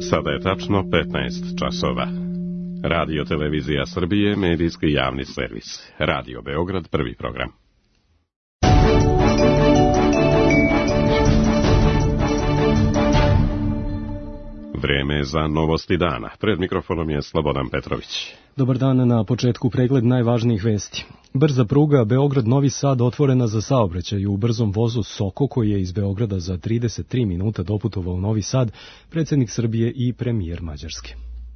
Sada je tačno 15 časova. Radio Televizija Srbije, medijski javni servis. Radio Beograd, prvi program. Vreme je za novosti dana. Pred mikrofonom je Slobodan Petrović. Dobar dan, na početku pregled najvažnijih vesti. Brza pruga Beograd-Novi Sad otvorena za saobraćaj u brzom vozu Soko, koji je iz Beograda za 33 minuta doputovao u Novi Sad, predsjednik Srbije i premijer Mađarske.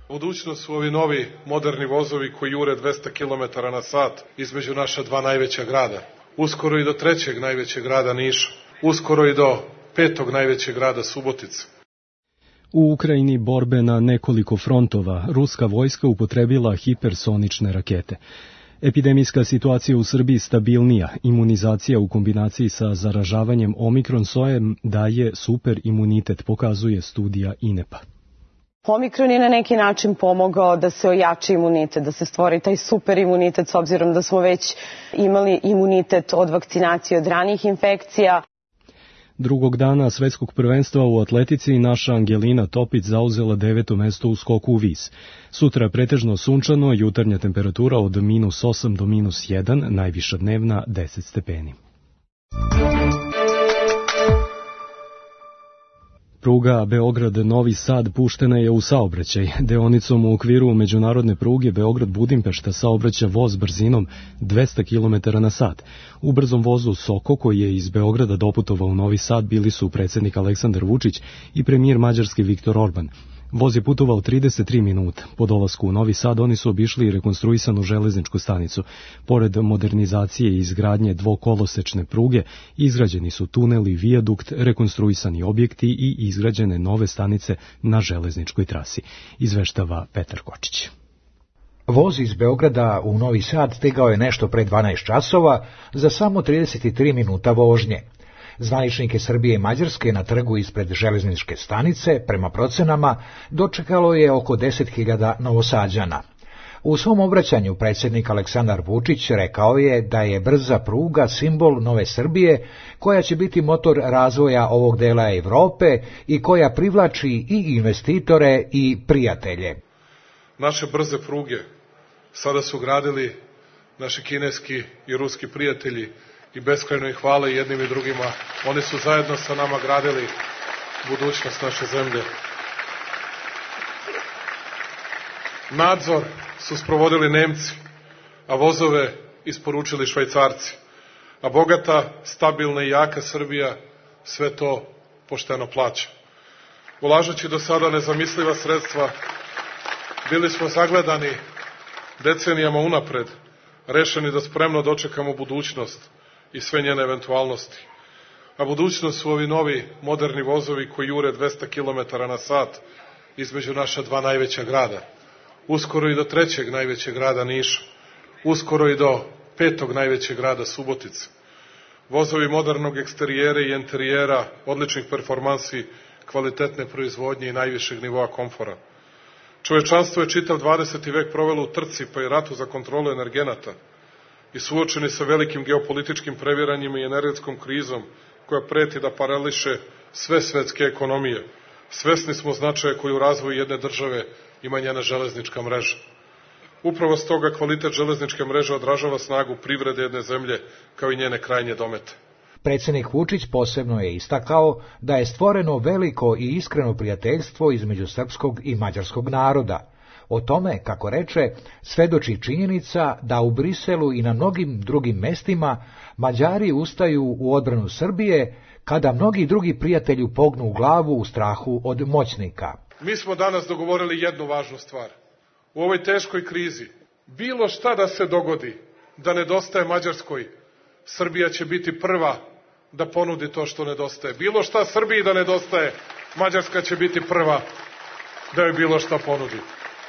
Budućnost su ovi novi moderni vozovi koji jure 200 km na sat između naša dva najveća grada. Uskoro i do trećeg najvećeg grada Niša. Uskoro i do petog najvećeg grada Subotice. U Ukrajini borbe na nekoliko frontova. Ruska vojska upotrebila hipersonične rakete. Epidemijska situacija u Srbiji stabilnija. Imunizacija u kombinaciji sa zaražavanjem omikron sojem daje super imunitet, pokazuje studija INEP-a. Omikron je na neki način pomogao da se ojači imunitet, da se stvori taj super imunitet, s obzirom da smo već imali imunitet od vakcinacije, od ranijih infekcija. Drugog dana svetskog prvenstva u atletici naša Angelina Topić zauzela 9. mesto u skoku u vis. Sutra pretežno sunčano, jutarnja temperatura od -8 do -1, najviša dnevna 10 stepeni. Pruga Beograd-Novi Sad puštena je u saobraćaj. Deonicom u okviru međunarodne pruge Beograd-Budimpešta saobraća voz brzinom 200 km na sat. U brzom vozu Soko, koji je iz Beograda doputovao u Novi Sad, bili su predsjednik Aleksandar Vučić i premijer Mađarske Viktor Orban. Voz je putovao 33 minuta. Po dolasku u Novi Sad oni su obišli i rekonstruisanu železničku stanicu. Pored modernizacije i izgradnje dvokolosečne pruge, izgrađeni su tuneli, vijadukt, rekonstruisani objekti i izgrađene nove stanice na železničkoj trasi, izveštava Petar Kočić. Voz iz Beograda u Novi Sad stigao je nešto pre 12 časova za samo 33 minuta vožnje. Zvaničnike Srbije i Mađarske na trgu ispred železničke stanice, prema procenama, dočekalo je oko 10.000 Novosađana. U svom obraćanju predsjednik Aleksandar Vučić rekao je da je brza pruga simbol nove Srbije, koja će biti motor razvoja ovog dela Evrope i koja privlači i investitore i prijatelje. Naše brze pruge sada su gradili naši kineski i ruski prijatelji, i beskrajno ih hvale jednim i drugima. Oni su zajedno sa nama gradili budućnost naše zemlje. Nadzor su sprovodili Nemci, a vozove isporučili Švajcarci. A bogata, stabilna i jaka Srbija sve to pošteno plaća. Ulažući do sada nezamisliva sredstva, bili smo zagledani decenijama unapred, rešeni da spremno dočekamo budućnost i sve njene eventualnosti. A budućnost su ovi novi moderni vozovi koji jure 200 km na sat između naša dva najveća grada. Uskoro i do trećeg najvećeg grada Niša. Uskoro i do petog najvećeg grada Subotice. Vozovi modernog eksterijera i enterijera, odličnih performansi, kvalitetne proizvodnje i najvišeg nivoa komfora. Čovečanstvo je čitav 20. vek provelo u trci pa i ratu za kontrolu energenata i suočeni sa velikim geopolitičkim previranjima i energetskom krizom koja preti da parališe sve svetske ekonomije. Svesni smo značaja koju u razvoju jedne države ima njena železnička mreža. Upravo stoga kvalitet železničke mreže odražava snagu privrede jedne zemlje kao i njene krajnje domete. Predsjednik Vučić posebno je istakao da je stvoreno veliko i iskreno prijateljstvo između srpskog i mađarskog naroda. O tome, kako reče, svedoči činjenica da u Briselu i na mnogim drugim mestima Mađari ustaju u odbranu Srbije, kada mnogi drugi prijatelji pognu u glavu u strahu od moćnika. Mi smo danas dogovorili jednu važnu stvar. U ovoj teškoj krizi, bilo šta da se dogodi, da nedostaje Mađarskoj, Srbija će biti prva da ponudi to što nedostaje. Bilo šta Srbiji da nedostaje, Mađarska će biti prva da joj bilo šta ponudi.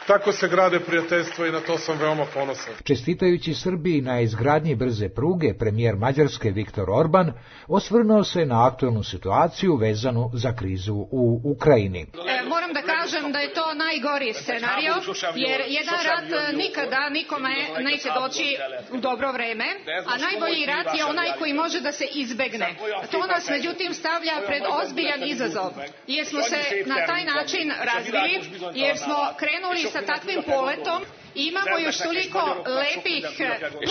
Tako se grade prijateljstva i na to sam veoma ponosan. Čestitajući Srbiji na izgradnji brze pruge, premijer Mađarske Viktor Orban osvrnuo se na aktuelnu situaciju vezanu za krizu u Ukrajini. Moram da kažem da je to najgori scenario, jer jedan rat nikada nikome neće doći u dobro vreme, a najbolji rat je onaj koji može da se izbegne. To nas međutim stavlja pred ozbiljan izazov, jer smo se na taj način razvili, jer smo krenuli sa takvim poletom. Imamo još toliko lepih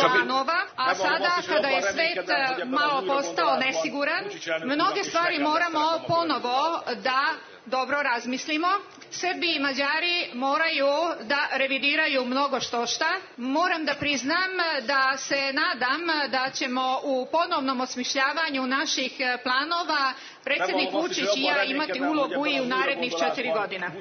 planova, a sada kada je svet malo postao nesiguran, mnoge stvari moramo ponovo da dobro razmislimo. Srbi i Mađari moraju da revidiraju mnogo šta. Moram da priznam da se nadam da ćemo u ponovnom osmišljavanju naših planova predsjednik Vučić i ja imati ulogu i u narednih 4 godina.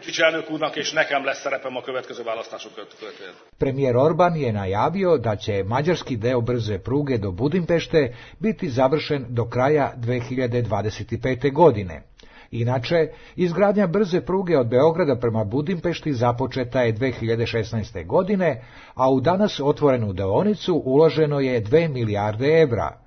Premijer Orban je najavio da će mađarski deo brze pruge do Budimpešte biti završen do kraja 2025. godine. Inače, izgradnja brze pruge od Beograda prema Budimpešti započeta je 2016. godine, a u danas otvorenu deonicu uloženo je 2 milijarde evra.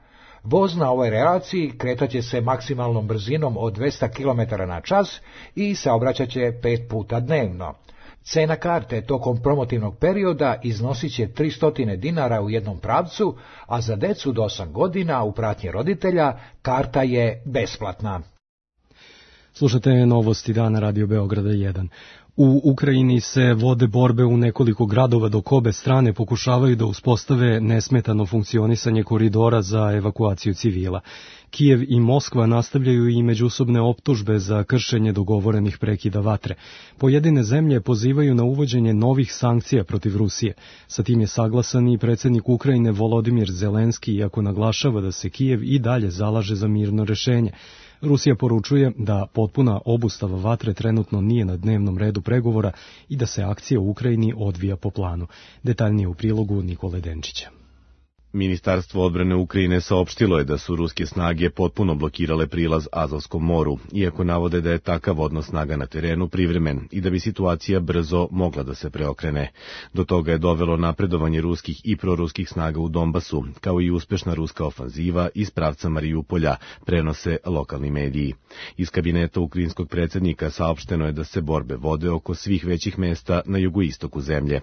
Voz na ovoj relaciji kretaće se maksimalnom brzinom od 200 km na čas i saobraćaće 5 puta dnevno. Cena karte tokom promotivnog perioda iznosit će 300 dinara u jednom pravcu, a za decu do 8 godina u pratnji roditelja karta je besplatna. Slušate novosti dana Radio Beograda 1. U Ukrajini se vode borbe u nekoliko gradova dok obe strane pokušavaju da uspostave nesmetano funkcionisanje koridora za evakuaciju civila. Kijev i Moskva nastavljaju i međusobne optužbe za kršenje dogovorenih prekida vatre. Pojedine zemlje pozivaju na uvođenje novih sankcija protiv Rusije. Sa tim je saglasan i predsjednik Ukrajine Volodimir Zelenski, iako naglašava da se Kijev i dalje zalaže za mirno rešenje. Rusija poručuje da potpuna obustava vatre trenutno nije na dnevnom redu pregovora i da se akcija u Ukrajini odvija po planu. Detaljnije u prilogu Nikole Denčića. Ministarstvo odbrane Ukrajine saopštilo je da su ruske snage potpuno blokirale prilaz Azovskom moru, iako navode da je takav odnos snaga na terenu privremen i da bi situacija brzo mogla da se preokrene. Do toga je dovelo napredovanje ruskih i proruskih snaga u Donbasu, kao i uspešna ruska ofanziva iz pravca Marijupolja, prenose lokalni mediji. Iz kabineta ukrajinskog predsjednika saopšteno je da se borbe vode oko svih većih mesta na jugoistoku zemlje.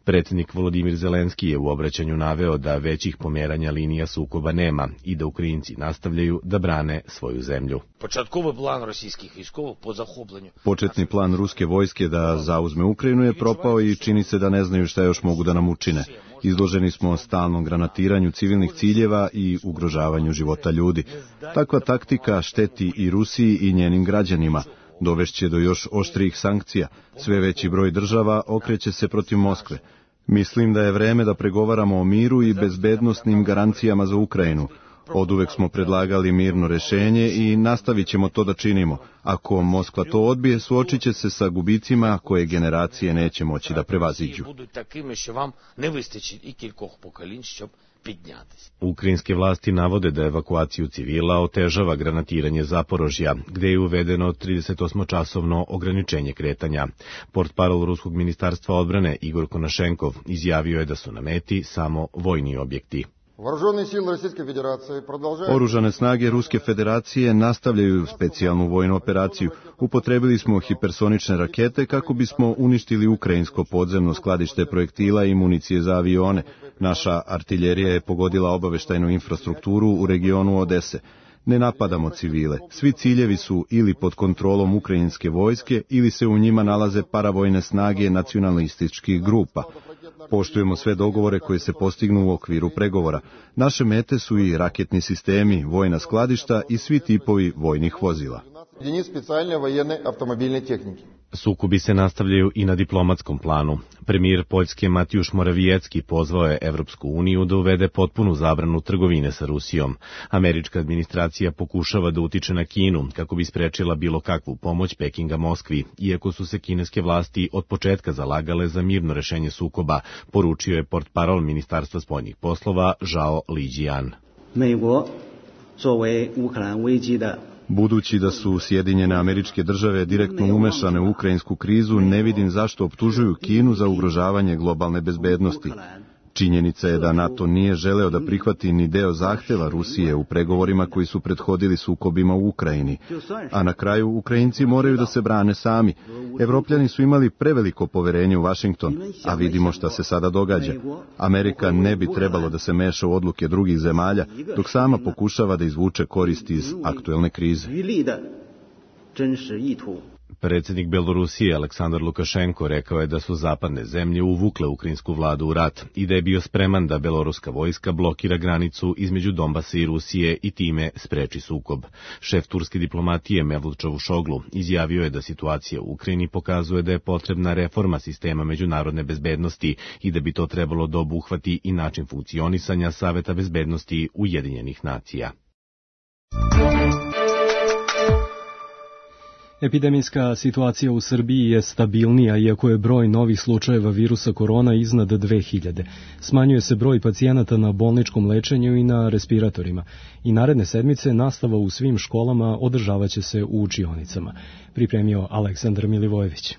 Predsjednik Volodimir Zelenski je u obraćanju naveo da većih pomeranja linija sukoba nema i da Ukrajinci nastavljaju da brane svoju zemlju. Početni plan ruske vojske da zauzme Ukrajinu je propao i čini se da ne znaju šta još mogu da nam učine. Izloženi smo stalnom granatiranju civilnih ciljeva i ugrožavanju života ljudi. Takva taktika šteti i Rusiji i njenim građanima. Dovešće do još oštrijih sankcija. Sve veći broj država okreće se protiv Moskve. Mislim da je vreme da pregovaramo o miru i bezbednosnim garancijama za Ukrajinu. Oduvek smo predlagali mirno rešenje i nastavit ćemo to da činimo. Ako Moskva to odbije, suočit će se sa gubicima koje generacije neće moći da prevaziđu. Ukrajinske vlasti navode da evakuaciju civila otežava granatiranje Zaporožja, gde je uvedeno 38-časovno ograničenje kretanja. Portparol Ruskog ministarstva odbrane Igor Konašenkov izjavio je da su na meti samo vojni objekti. Oružane snage Ruske federacije nastavljaju specijalnu vojnu operaciju. Upotrebili smo hipersonične rakete kako bismo uništili ukrajinsko podzemno skladište projektila i municije za avione. Naša artiljerija je pogodila obaveštajnu infrastrukturu u regionu Odese. Ne napadamo civile. Svi ciljevi su ili pod kontrolom ukrajinske vojske ili se u njima nalaze paravojne snage nacionalističkih grupa. Poštujemo sve dogovore koje se postignu u okviru pregovora. Naše mete su i raketni sistemi, vojna skladišta i svi tipovi vojnih vozila. Sukobi se nastavljaju i na diplomatskom planu. Premijer Poljske Matjuš Morawiecki pozvao je Evropsku uniju da uvede potpunu zabranu trgovine sa Rusijom. Američka administracija pokušava da utiče na Kinu kako bi sprečila bilo kakvu pomoć Pekinga Moskvi, iako su se kineske vlasti od početka zalagale za mirno rešenje sukoba, poručio je portparol Ministarstva spoljnih poslova Zhao Lijian. Budući da su Sjedinjene Američke Države direktno umešane u ukrajinsku krizu, ne vidim zašto optužuju Kinu za ugrožavanje globalne bezbednosti. Činjenica je da NATO nije želeo da prihvati ni deo zahteva Rusije u pregovorima koji su prethodili sukobima u Ukrajini. A na kraju Ukrajinci moraju da se brane sami. Evropljani su imali preveliko poverenje u Vašington, a vidimo šta se sada događa. Amerika ne bi trebalo da se meša u odluke drugih zemalja, dok sama pokušava da izvuče koristi iz aktuelne krize. Predsjednik Belorusije Aleksandar Lukašenko rekao je da su zapadne zemlje uvukle ukrajinsku vladu u rat i da je bio spreman da beloruska vojska blokira granicu između Donbasa i Rusije i time spreči sukob. Šef turske diplomatije Mevlut Čavuşoglu izjavio je da situacija u Ukrajini pokazuje da je potrebna reforma sistema međunarodne bezbednosti i da bi to trebalo da obuhvati i način funkcionisanja Saveta bezbednosti Ujedinjenih nacija. Epidemijska situacija u Srbiji je stabilnija, iako je broj novih slučajeva virusa korona iznad 2000. Smanjuje se broj pacijenata na bolničkom lečenju i na respiratorima. I naredne sedmice nastava u svim školama održavaće se u učionicama. Pripremio Aleksandar Milivojević.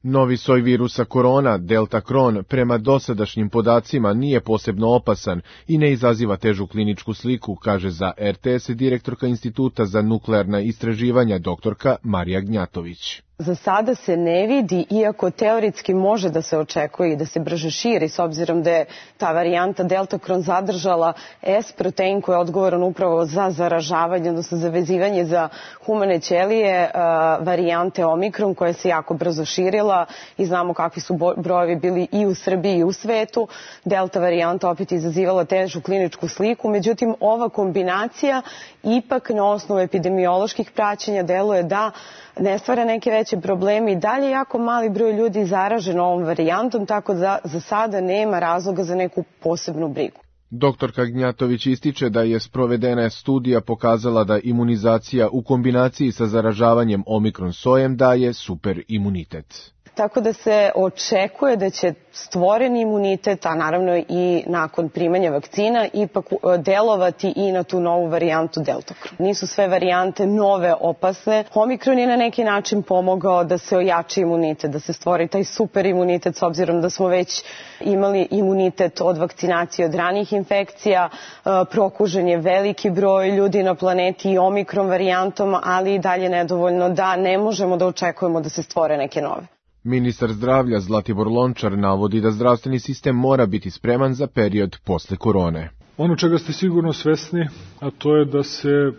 Novi soj virusa korona, Delta Kron, prema dosadašnjim podacima nije posebno opasan i ne izaziva težu kliničku sliku, kaže za RTS direktorka Instituta za nuklearna istraživanja doktorka Marija Gnjatović. Za sada se ne vidi, iako teoretski može da se očekuje i da se brže širi, s obzirom da je ta varijanta Delta Kron zadržala S protein koji je odgovoran upravo za zaražavanje, odnosno za vezivanje za humane ćelije varijante Omikron koja se jako brzo širila i znamo kakvi su brojevi bili i u Srbiji i u svetu. Delta varijanta opet izazivala težu kliničku sliku, međutim ova kombinacija ipak na osnovu epidemioloških praćenja deluje da ne stvara neke veće probleme i dalje jako mali broj ljudi zaražen ovom varijantom, tako da za sada nema razloga za neku posebnu brigu. Doktorka Gnjatović ističe da je sprovedena studija pokazala da imunizacija u kombinaciji sa zaražavanjem Omikron sojem daje super imunitet. Tako da se očekuje da će stvoreni imunitet, a naravno i nakon primanja vakcina, ipak delovati i na tu novu varijantu Delta Kron. Nisu sve varijante nove opasne. Omikron je na neki način pomogao da se ojači imunitet, da se stvori taj super imunitet, s obzirom da smo već imali imunitet od vakcinacije od ranih infekcija. Prokužen je veliki broj ljudi na planeti i Omikron varijantom, ali i dalje nedovoljno da ne možemo da očekujemo da se stvore neke nove. Ministar zdravlja Zlatibor Lončar navodi da zdravstveni sistem mora biti spreman za period posle korone. Ono čega ste sigurno svesni, a to je da se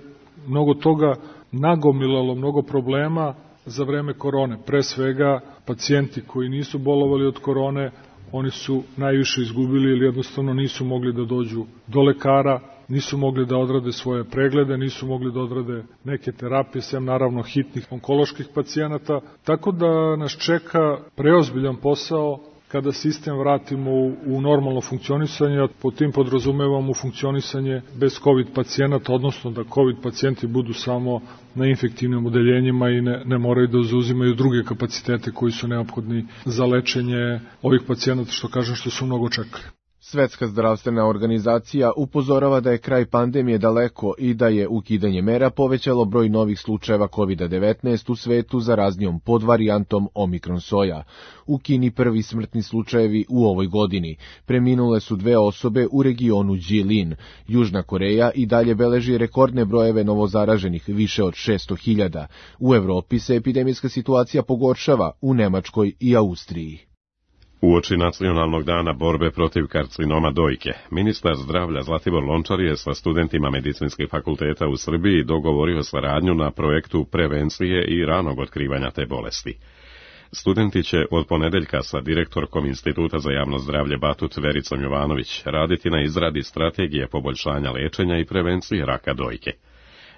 mnogo toga nagomilalo, mnogo problema za vreme korone. Pre svega, pacijenti koji nisu bolovali od korone, oni su najviše izgubili ili jednostavno nisu mogli da dođu do lekara, nisu mogli da odrade svoje preglede, nisu mogli da odrade neke terapije, sem naravno hitnih onkoloških pacijenata. Tako da nas čeka preozbiljan posao kada sistem vratimo u normalno funkcionisanje, a pod tim podrazumevamo funkcionisanje bez COVID pacijenata, odnosno da COVID pacijenti budu samo na infektivnim odeljenjima i ne moraju da zauzimaju druge kapacitete koji su neophodni za lečenje ovih pacijenata, što su mnogo čekali. Svetska zdravstvena organizacija upozorava da je kraj pandemije daleko i da je ukidanje mera povećalo broj novih slučajeva COVID-19 u svetu zaraznijom podvarijantom Omikron soja. U Kini prvi smrtni slučajevi u ovoj godini. Preminule su 2 osobe u regionu Jilin. Južna Koreja i dalje beleži rekordne brojeve novozaraženih, više od 600.000. U Evropi se epidemijska situacija pogoršava, u Nemačkoj i Austriji. Uoči nacionalnog dana borbe protiv karcinoma dojke, ministar zdravlja Zlatibor Lončar je sa studentima medicinskih fakulteta u Srbiji dogovorio saradnju na projektu prevencije i ranog otkrivanja te bolesti. Studenti će od ponedeljka sa direktorkom Instituta za javno zdravlje Batut Vericom Jovanović raditi na izradi strategije poboljšanja lečenja i prevencije raka dojke.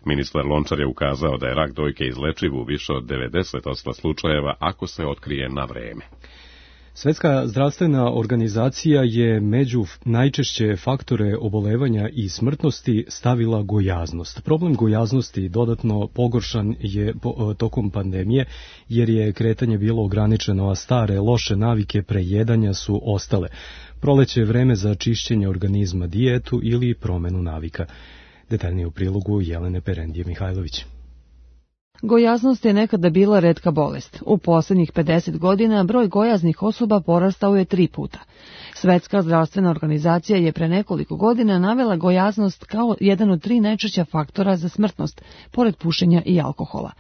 Ministar Lončar je ukazao da je rak dojke izlečiv u više od 90% slučajeva ako se otkrije na vreme. Svetska zdravstvena organizacija je među najčešće faktore obolevanja i smrtnosti stavila gojaznost. Problem gojaznosti dodatno pogoršan je tokom pandemije jer je kretanje bilo ograničeno, a stare loše navike prejedanja su ostale. Proleće je vreme za čišćenje organizma, dijetu ili promenu navika. Detaljnije u prilogu Jelene Perendije Mihajlović. Gojaznost je nekada bila retka bolest. U posljednjih 50 godina broj gojaznih osoba porastao je 3 puta. Svetska zdravstvena organizacija je pre nekoliko godina navela gojaznost kao jedan od 3 najčešća faktora za smrtnost, pored pušenja i alkohola.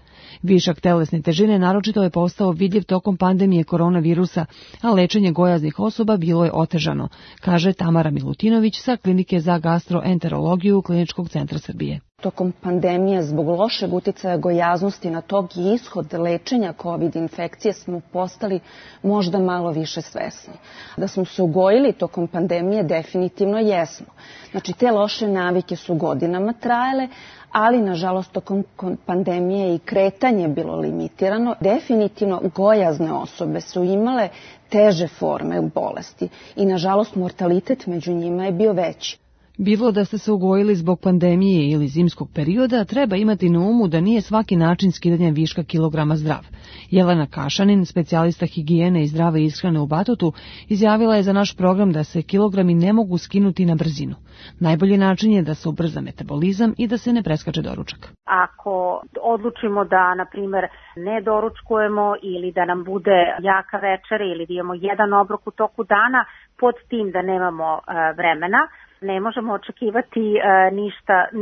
Višak telesne težine naročito je postao vidljiv tokom pandemije koronavirusa, a lečenje gojaznih osoba bilo je otežano, kaže Tamara Milutinović sa Klinike za gastroenterologiju Kliničkog centra Srbije. Tokom pandemije zbog lošeg uticaja gojaznosti na tog i ishod lečenja COVID infekcije smo postali možda malo više svesni. Da smo se ugojili tokom pandemije definitivno jesmo. Znači te loše navike su godinama trajale, ali nažalost tokom pandemije i kretanje bilo limitirano. Definitivno gojazne osobe su imale teže forme bolesti i nažalost mortalitet među njima je bio veći. Bilo da ste se ugojili zbog pandemije ili zimskog perioda, treba imati na umu da nije svaki način skidanja viška kilograma zdrav. Jelena Kašanin, specijalista higijene i zdrave ishrane u Batotu, izjavila je za naš program da se kilogrami ne mogu skinuti na brzinu. Najbolji način je da se ubrza metabolizam i da se ne preskače doručak. Ako odlučimo da, na primjer, ne doručkujemo ili da nam bude jaka večera ili da imamo jedan obrok u toku dana, pod tim da nemamo vremena, ne možemo očekivati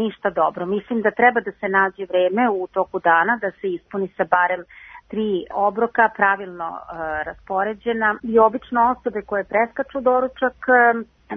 ništa dobro. Mislim da treba da se nađe vreme u toku dana, da se ispuni sa barem 3 obroka pravilno raspoređena i obično osobe koje preskaču doručak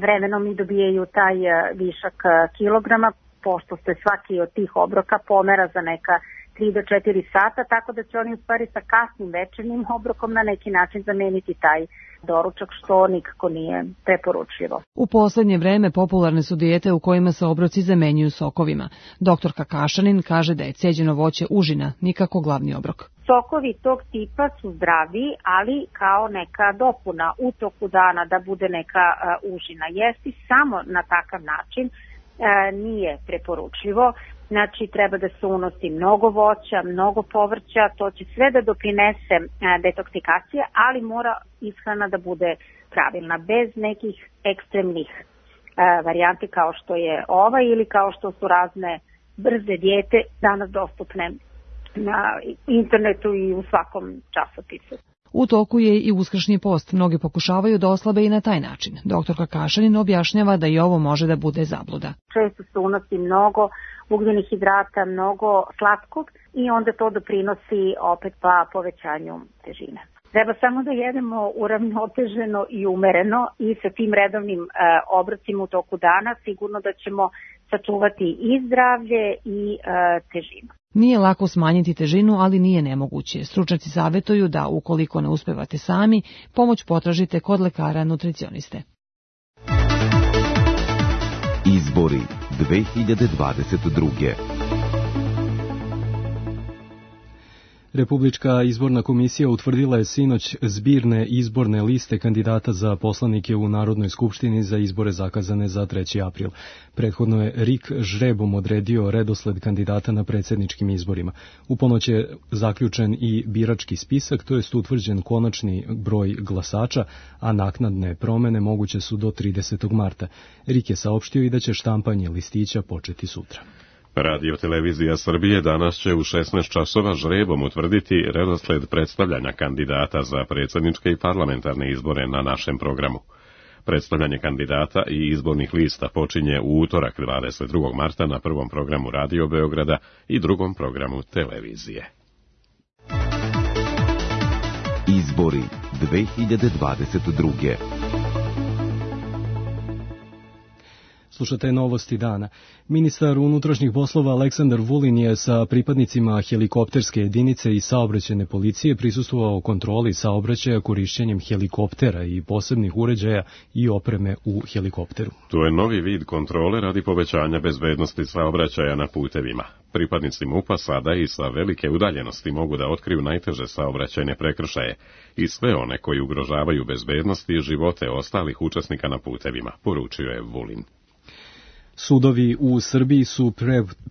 vremenom i dobijaju taj višak kilograma, pošto se svaki od tih obroka pomera za neka 3 do 4 sata, tako da će oni u stvari sa kasnim večernjim obrokom na neki način zameniti taj doručak, što nikako nije preporučljivo. U poslednje vreme popularne su dijete u kojima se obroci zamenjuju sokovima. Doktorka Kašanin kaže da je ceđeno voće užina, nikako glavni obrok. Sokovi tog tipa su zdravi, ali kao neka dopuna u toku dana da bude neka užina. Jesti samo na takav način nije preporučljivo. Znači, treba da se unosi mnogo voća, mnogo povrća, to će sve da doprinese detoksikacije, ali mora ishrana da bude pravilna, bez nekih ekstremnih varijanti kao što je ova ili kao što su razne brze dijete danas dostupne na internetu i u svakom časopisu. U toku je i uskršnji post. Mnogi pokušavaju da oslabe i na taj način. Doktorka Kašanin objašnjava da i ovo može da bude zabluda. Često se unosi mnogo ugljenih hidrata, mnogo slatkog i onda to doprinosi opet pa povećanju težine. Treba samo da jedemo uravnoteženo i umereno i sa tim redovnim obrocima u toku dana sigurno da ćemo sačuvati i zdravlje i težinu. Nije lako smanjiti težinu, ali nije nemoguće. Stručnjaci savjetuju da, ukoliko ne uspevate sami, pomoć potražite kod lekara nutricioniste. Izbori 2022. Republička izborna komisija utvrdila je sinoć zbirne izborne liste kandidata za poslanike u Narodnoj skupštini za izbore zakazane za 3. april. Prethodno je RIK žrebom odredio redosled kandidata na predsjedničkim izborima. U ponoć je zaključen i birački spisak, to jest utvrđen konačni broj glasača, a naknadne promene moguće su do 30. marta. RIK je saopštio i da će štampanje listića početi sutra. Radio Televizija Srbije danas će u 16 časova žrebom utvrditi redosled predstavljanja kandidata za predsjedničke i parlamentarne izbore na našem programu. Predstavljanje kandidata i izbornih lista počinje u utorak 22. marta na prvom programu Radio Beograda i drugom programu televizije. Izbori 2022. Slušate novosti dana. Ministar unutrašnjih poslova Aleksandar Vulin je sa pripadnicima helikopterske jedinice i saobraćajne policije prisustvovao kontroli saobraćaja korišćenjem helikoptera i posebnih uređaja i opreme u helikopteru. To je novi vid kontrole radi povećanja bezbednosti saobraćaja na putevima. Pripadnici MUP-a sada i sa velike udaljenosti mogu da otkriju najteže saobraćajne prekršaje i sve one koji ugrožavaju bezbednost i živote ostalih učesnika na putevima, poručio je Vulin. Sudovi u Srbiji su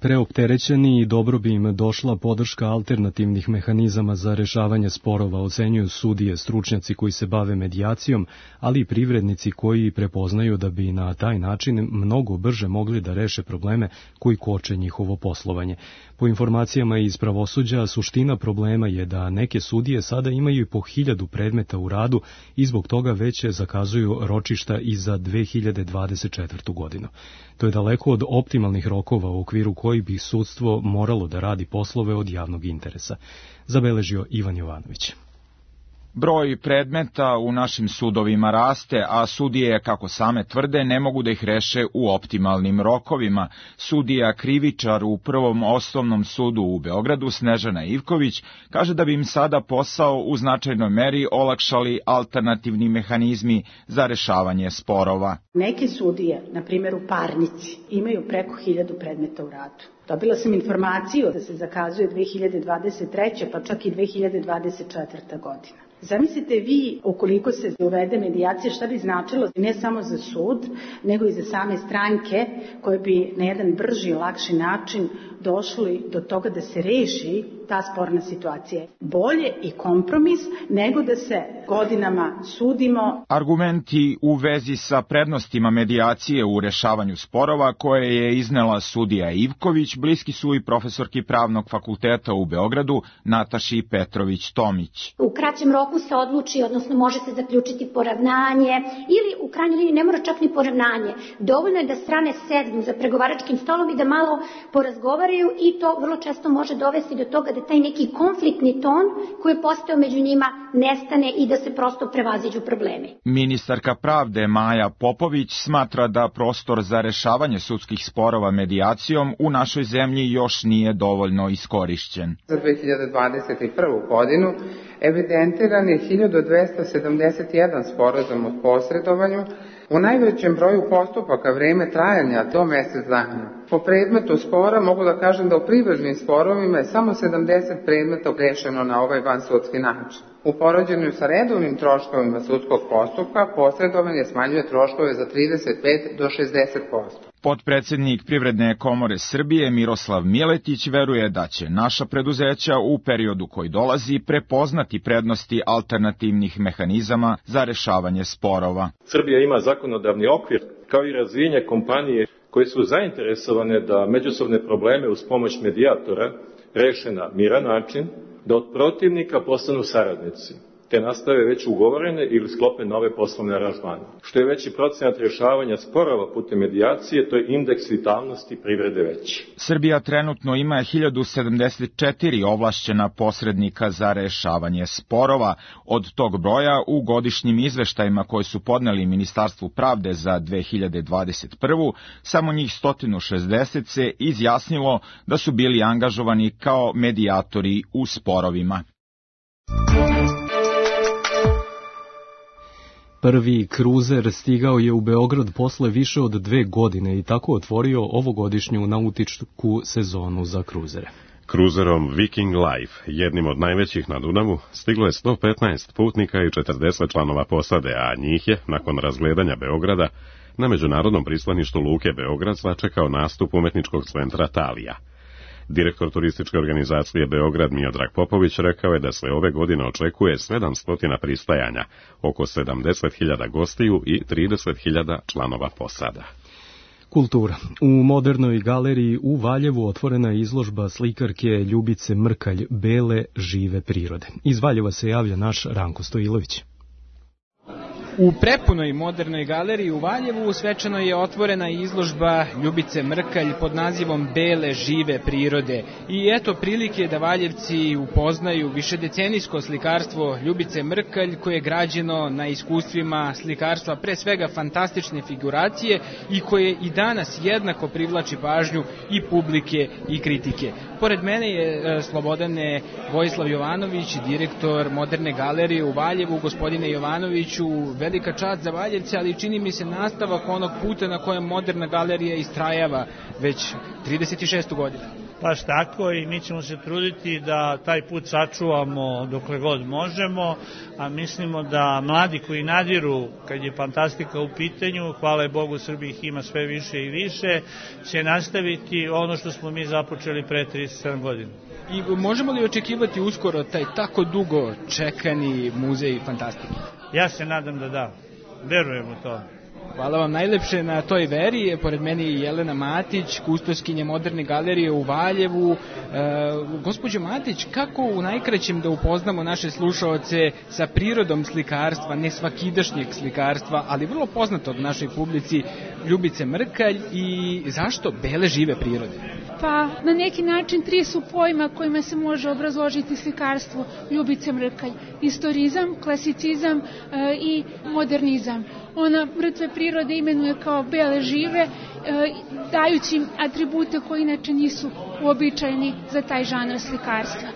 preopterećeni i dobro bi im došla podrška alternativnih mehanizama za rešavanje sporova, ocenjuju sudije, stručnjaci koji se bave medijacijom, ali i privrednici koji prepoznaju da bi na taj način mnogo brže mogli da reše probleme koji koče njihovo poslovanje. Po informacijama iz pravosuđa, suština problema je da neke sudije sada imaju i po 1000 predmeta u radu i zbog toga već zakazuju ročišta i za 2024. godinu. To je daleko od optimalnih rokova u okviru koji bi sudstvo moralo da radi poslove od javnog interesa, zabeležio Ivan Jovanović. Broj predmeta u našim sudovima raste, a sudije, kako same tvrde, ne mogu da ih reše u optimalnim rokovima. Sudija krivičar u Prvom osnovnom sudu u Beogradu, Snežana Ivković, kaže da bi im sada posao u značajnoj meri olakšali alternativni mehanizmi za rešavanje sporova. Neke sudije, na primjer u parnici, imaju preko 1000 predmeta u radu. Dobila sam informaciju da se zakazuje 2023. pa čak i 2024. godina. Zamislite vi, ukoliko se uvede medijacija, šta bi značilo ne samo za sud, nego i za same stranke koje bi na jedan brži i lakši način došli do toga da se reši ta sporna situacija. Bolje i kompromis nego da se godinama sudimo. Argumenti u vezi sa prednostima medijacije u rešavanju sporova koje je iznela sudija Ivković bliski su i profesorki Pravnog fakulteta u Beogradu Nataši Petrović-Tomić. U kraćem roku se odluči, odnosno može se zaključiti poravnanje ili u krajnjoj liniji ne mora čak ni poravnanje. Dovoljno je da strane sednu za pregovaračkim stolom i da malo porazgovaraju i to vrlo često može dovesti do toga da taj neki konfliktni ton koji je postao među njima nestane i da se prosto prevaziđu problemi. Ministarka pravde Maja Popović smatra da prostor za rešavanje sudskih sporova medijacijom u našoj zemlji još nije dovoljno iskorišćen. Za 2021. godinu evidentiran je 1271 sporazum o posredovanju, u najvećem broju postupaka vreme trajanja do mesec dana. Po predmetu spora mogu da kažem da u privrednim sporovima je samo 70 predmeta rešeno na ovaj vansudski način. U poređenju sa redovnim troškovima sudskog postupka posredovanje smanjuje troškove za 35 do 60%. Potpredsednik Privredne komore Srbije Miroslav Miletić veruje da će naša preduzeća u periodu koji dolazi prepoznati prednosti alternativnih mehanizama za rešavanje sporova. Srbija ima zakonodavni okvir kao i razvijenje kompanije koje su zainteresovane da međusobne probleme uz pomoć medijatora reše na miran način, da od protivnika postanu saradnici, te nastave već ugovorene ili sklope nove poslovne aranžmane. Što je veći procenat rješavanja sporova putem medijacije, to je indeks vitalnosti privrede veći. Srbija trenutno ima 1074 ovlašćena posrednika za rešavanje sporova. Od tog broja u godišnjim izveštajima koje su podneli Ministarstvu pravde za 2021. samo njih 160 se izjasnilo da su bili angažovani kao medijatori u sporovima. Prvi kruzer stigao je u Beograd posle više od 2 godine i tako otvorio ovogodišnju nautičku sezonu za kruzere. Kruzerom Viking Life, jednim od najvećih na Dunavu, stiglo je 115 putnika i 40 članova posade, a njih je, nakon razgledanja Beograda, na međunarodnom pristaništu Luke Beograd sačekao nastup umetničkog centra Talija. Direktor turističke organizacije Beograd Miodrag Popović rekao je da se ove godine očekuje 700 pristajanja, oko 70.000 gostiju i 30.000 članova posada. Kultura. U Modernoj galeriji u Valjevu otvorena je izložba slikarke Ljubice Mrkalj Bele žive prirode. Iz Valjeva se javlja naš Ranko Stojilović. U prepunoj Modernoj galeriji u Valjevu svečano je otvorena izložba Ljubice Mrkalj pod nazivom Bele žive prirode. I eto prilike da Valjevci upoznaju višedecenijsko slikarstvo Ljubice Mrkalj koje je građeno na iskustvima slikarstva pre svega fantastične figuracije i koje i danas jednako privlači pažnju i publike i kritike. Pored mene je Slobodane Vojislav Jovanović, direktor Moderne galerije u Valjevu. Gospodine Jovanoviću, velika čast za Valjevce, ali čini mi se nastavak onog puta na kojem Moderna galerija istrajava već 36. godinu. Baš tako i mi ćemo se truditi da taj put sačuvamo dokle god možemo, a mislimo da mladi koji nadiru kad je fantastika u pitanju, hvala Bogu Srbiji ih ima sve više i više, će nastaviti ono što smo mi započeli pre 37 godina. I možemo li očekivati uskoro taj tako dugo čekani muzej fantastike? Ja se nadam da, verujem u to. Hvala vam najlepše na toj veri. Pored mene je Jelena Matić, kustoskinja Moderne galerije u Valjevu. Gospođo Matić, kako u najkraćem da upoznamo naše slušaoce sa prirodom slikarstva, ne svakidašnjeg slikarstva, ali vrlo poznatog našoj publici, Ljubice Mrkalj, i zašto bele žive prirode? Pa na neki način 3 su pojma kojima se može obrazložiti slikarstvo Ljubice Mrkalj. Istorizam, klasicizam i modernizam. Ona mrtve prirode imenuje kao bele žive, dajući im atribute koji inače nisu uobičajeni za taj žanr slikarstva.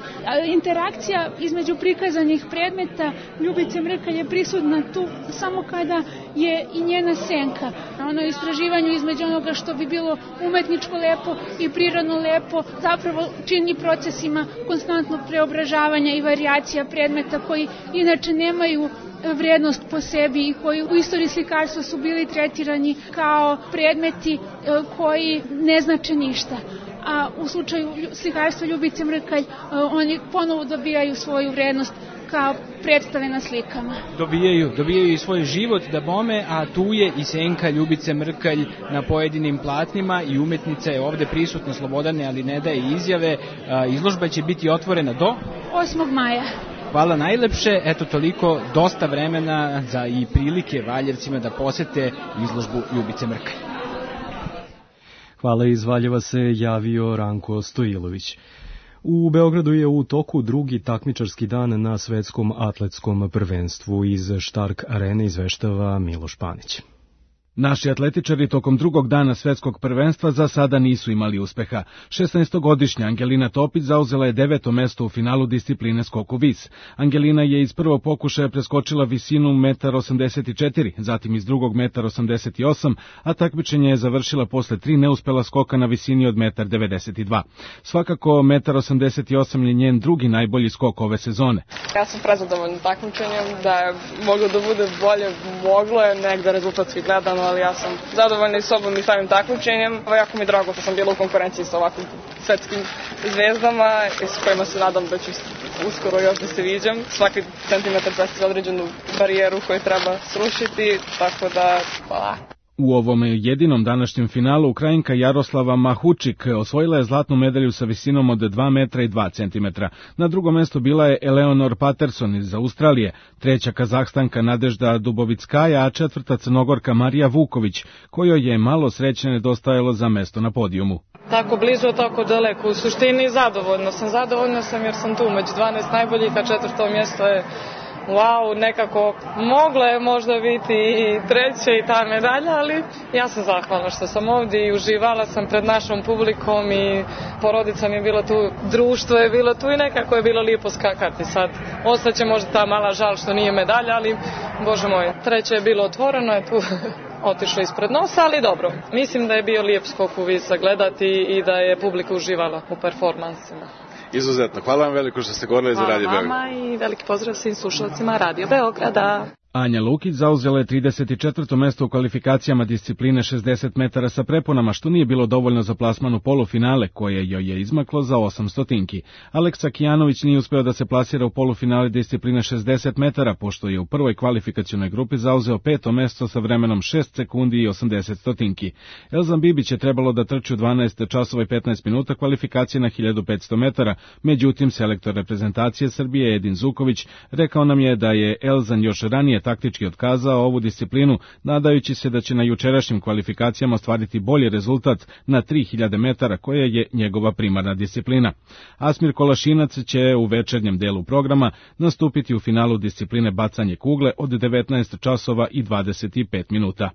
Interakcija između prikazanih predmeta Ljubice Mrkalj je prisutna tu samo kada je i njena senka. Ono istraživanju između onoga što bi bilo umetničko lepo i prirodno lepo zapravo čini procesima konstantnog preobražavanja i varijacija predmeta koji inače nemaju vrednost po sebi i koji u istoriji slikarstva su bili tretirani kao predmeti koji ne znače ništa. A u slučaju slikarstva Ljubice Mrkalj oni ponovo dobijaju svoju vrednost kao predstave na slikama. Dobijaju i svoj život da bome, a tu je i senka Ljubice Mrkalj na pojedinim platnima i umetnica je ovde prisutna, Slobodane, ali ne daje izjave. Izložba će biti otvorena do 8. maja. Hvala najlepše, eto toliko, dosta vremena za i prilike Valjevcima da posete izložbu Ljubice Mrkalj. Hvala, iz Valjeva se javio Ranko Stojilović. U Beogradu je u toku drugi takmičarski dan na svetskom atletskom prvenstvu. Iz Štark arene izveštava Miloš Panić. Naši atletičari tokom drugog dana svetskog prvenstva za sada nisu imali uspeha. 16-godišnja Angelina Topić zauzela je 9. mesto u finalu discipline skoku vis. Angelina je iz prvog pokušaja preskočila visinu 1,84 m, zatim iz drugog 1,88 m, a takmičenje je završila posle 3 neuspela skoka na visini od 1,92 m. Svakako 1,88 m je njen drugi najbolji skok ove sezone. Ja sam prezadovoljna takmičenjem, da je moglo da bude bolje, moglo je negde rezultatski gledano, ali ja sam zadovoljna i sobom i samim takmičenjem. Jako mi je drago što sam bila u konkurenciji sa ovakvim svetskim zvezdama i s kojima se nadam da ću uskoro još da se viđam. Svaki centimetar predstavlja određenu barijeru koju treba srušiti, tako da hvala. U ovom jedinom današnjem finalu Ukrajinka Jaroslava Mahučik osvojila je zlatnu medalju sa visinom od 2 metra i 2 centimetra. Na drugom mestu bila je Eleonor Patterson iz Australije, treća Kazahstanka Nadežda Dubovickaja, a četvrta Crnogorka Marija Vuković, kojoj je malo sreće nedostajalo za mesto na podijumu. Tako blizu, tako daleko. U suštini zadovoljna sam jer sam tu među 12 najboljih, a četvrto mjesto je nekako mogla je možda biti i treća i ta medalja, ali ja sam zahvalna što sam ovdje i uživala sam pred našom publikom i porodica mi je bila tu, društvo je bilo tu i nekako je bilo lijepo skakati. Sad ostaće možda ta mala žal što nije medalja, ali bože moj, treće je bilo otvoreno, je tu otišlo ispred nosa, ali dobro. Mislim da je bio lijep skok u vis gledati i da je publika uživala u performansima. Izuzetno. Hvala vam veliko što ste govorili za Radio Beograd. Hvala vama i veliki pozdrav svim slušalcima Radio Beograda. Anja Lukić zauzela je 34. mesto u kvalifikacijama discipline 60 metara sa preponama, što nije bilo dovoljno za plasman u polufinale, koje joj je izmaklo za 800. Aleksa Kijanović nije uspeo da se plasira u polufinale discipline 60 metara, pošto je u prvoj kvalifikacionoj grupi zauzeo 5. mesto sa vremenom 6 sekundi i 80 %. Elzan Bibić je trebalo da trči u 12 časova i 15 minuta kvalifikacije na 1500 metara, međutim selektor reprezentacije Srbije Edin Zuković rekao nam je da je Elzan još ranije taktički otkazao ovu disciplinu, nadajući se da će na jučerašnjim kvalifikacijama ostvariti bolji rezultat na 3000 metara, koja je njegova primarna disciplina. Asmir Kolašinac će u večernjem delu programa nastupiti u finalu discipline bacanje kugle od 19 časova i 25 minuta.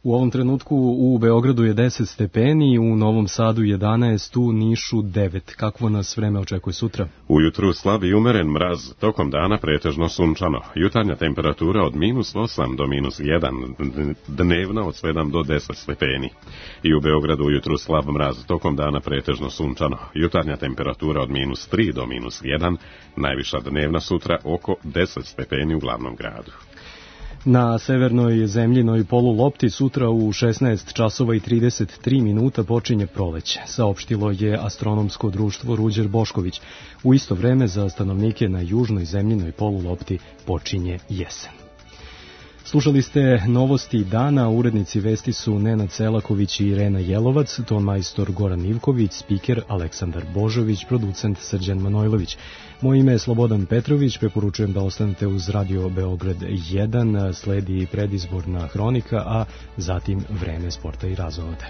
U ovom trenutku u Beogradu je 10 stepeni, u Novom Sadu 11, u Nišu 9. Kakvo nas vreme očekuje sutra? Ujutru slab i umeren mraz, tokom dana pretežno sunčano. Jutarnja temperatura od -8 do -1, dnevna od 7 do 10 stepeni. I u Beogradu ujutru slab mraz, tokom dana pretežno sunčano. Jutarnja temperatura od -3 do -1, najviša dnevna sutra oko 10 stepeni u glavnom gradu. Na severnoj zemljinoj polulopti sutra u 16 časova i 33 minuta počinje proleće, saopštilo je astronomsko društvo Ruđer Bošković. U isto vreme za stanovnike na južnoj zemljinoj polulopti počinje jesen. Slušali ste novosti dana, urednici vesti su Nenad Selaković i Irena Jelovac, tonmajstor Goran Ivković, spiker Aleksandar Božović, producent Srđan Manojlović. Moje ime je Slobodan Petrović, preporučujem da ostanete uz Radio Beograd 1, sledi predizborna hronika, a zatim vreme sporta i razonode.